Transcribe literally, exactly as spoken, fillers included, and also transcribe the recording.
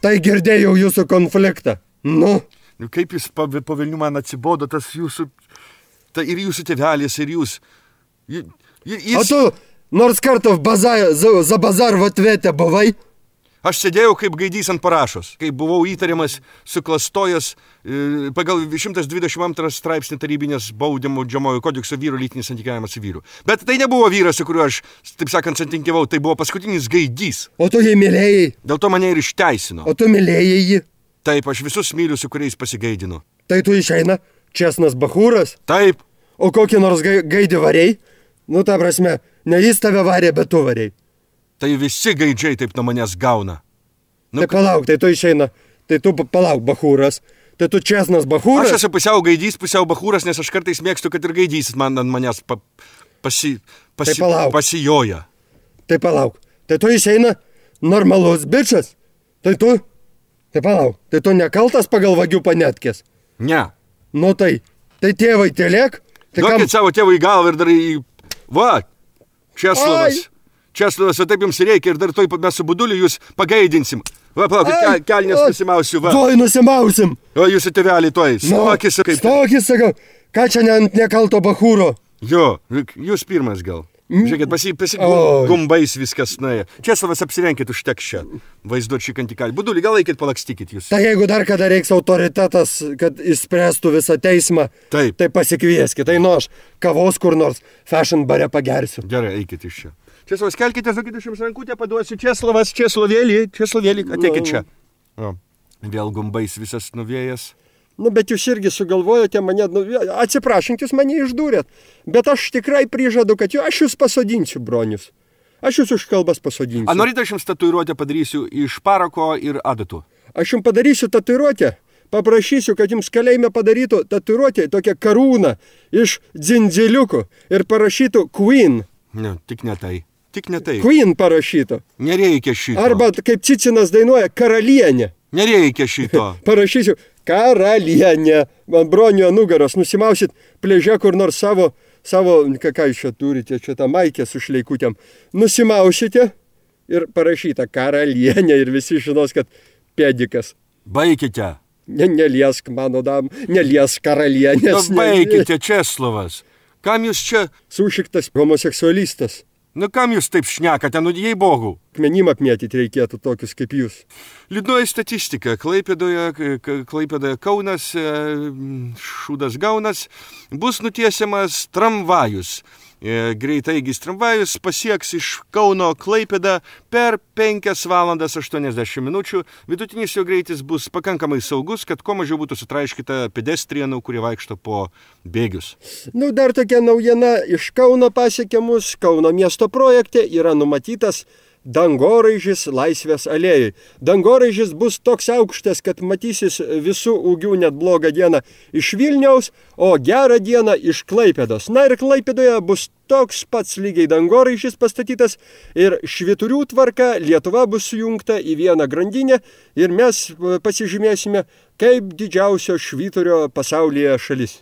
Tai girdėjau jūsų konfliktą. Nu. Kaip jūs po, po Vilnių man atsibodo tas jūsų, ta ir jūsų tėvelis, ir jūs. J, j, jis... O tu nors kartą bazar, za, za bazar v atvete buvai? Aš sėdėjau kaip gaidys ant parašos, kai buvau įtariamas, suklastojęs e, pagal šimtas dvidešimt antras straipsnį tarybinės baudimo džiamojo kodekso vyro lytinis santykiavimas su vyru. Bet tai nebuvo vyras, su kuriuo aš, taip sakant, santykiavau, tai buvo paskutinis gaidys. O tu jį mylėjai? Dėl to mane ir išteisino. O tu mylėjai jį? Taip, aš visus myliu, su kuriais pasigaidinu. Tai tu išeina česnas bachūras? Taip. O kokį nors gaidį variai? Nu, ta prasme, ne jis tave varė, bet tu variai. Tai visi gaidžiai taip nuo manęs gauna. Nu, tai palauk, tai tu išeina, tai tu palauk bachūras, tai tu česnas bachūras. Aš esu pusiau gaidys, pusiau bachūras, nes aš kartais mėgstu, kad ir gaidys man ant manęs pa, pasi, pasi, tai pasijoja. Tai palauk, tai tu išeina normalus bičas, tai tu, tai palauk, tai tu nekaltas pagal vagių panetkės. Ne. Nu tai, tai tėvai tėlėk. Tai duokit kam... savo tėvui galvą ir dar į... Va, Česlovas. Ai. Česlovas, o taip jums reikia ir dar toj mes su Buduliu jūs pagaidinsim. Va, palaukit, ke, kelnės nusimausiu, va. Tuoj nusimausim. O jūsų tėvelį tuoj, stokis. Nu, kaip... Stokis, sakau, ką čia ne, nekalto bachūro? Jo, jūs pirmas gal. Žiūrėkit, pasi, pasi gumbais viskas nuėjo. Česlovas, apsirenkit užteks čia. Vaizduot šį kantikalį. Budulį, gal eikit palakstykit jūs. Tai jeigu dar kada reiks autoritetas, kad išspręstų visą teismą, taip. Tai pasikvieskit. Tai nu aš kavos kur nors fashion bare pagersiu. Gerai, eikit iš čia. Česlovas, kelkite, sakykit, aš jums rankutę paduosiu. Česlovas, Česlovėlį, Česlovėlį, ateikit čia. O, vėl gumbais visas nuvėjęs. Nu, bet jūs irgi sugalvojote mane, nu, atsiprašant, jūs mane išdūrėt, bet aš tikrai prižadu, kad aš jūs pasodinsiu, bronius. Aš jūs už kalbas pasodinsiu. A norite, aš jums tatuiruotę padarysiu iš parako ir adatų? Aš jums padarysiu tatuiruotę, paprašysiu, kad jums kalėjime padarytų tatuiruotę, tokią karūną iš dzindziliukų ir parašytų Queen. Ne, tik ne tai. Tik ne tai. Queen parašytų. Nereikia šito. Arba, kaip Cicinas dainuoja, karalienė. Nereikia šito. Parašysiu, karalienė. Man bronio nugaros nusimausit plėžę kur nors savo, savo, ką, ką jūs čia turite, čia tą maikę su šleikutėm. Nusimausite ir parašyta karalienė ir visi žinos, kad pėdikas. Baikite. Ne, neliesk, mano dam, neliesk karalienės. Nu, baikite, Česlovas. Kam jūs čia? Sušiktas homoseksualistas. Nu, kam jūs taip šnekate, nu, jei bogų? Akmenim apmėtyti reikėtų tokius kaip jūs. Liūdnoji statistika. Klaipėdoje, Klaipėdoje Kaunas, Šūdas Gaunas, bus nutiesiamas tramvajus. Greitaigis tramvajus pasieks iš Kauno Klaipėdą per penkias valandas aštuoniasdešimt minučių. Vidutinis jo greitis bus pakankamai saugus, kad kuo mažiau būtų sutraiškyta pedestrienų, kurie vaikšto po bėgius. Nu, dar tokia naujiena iš Kauno pasiekė mus. Kauno miesto projekte yra numatytas dangoraižis Laisvės alėjai. Dangoraižis bus toks aukštas, kad matysis visų ūgių net blogą dieną iš Vilniaus, o gerą dieną iš Klaipėdos. Na ir Klaipėdoje bus toks pats lygiai dangoraižis pastatytas ir švyturių tvarka Lietuva bus sujungta į vieną grandinę ir mes pasižymėsime kaip didžiausio švyturio pasaulyje šalis.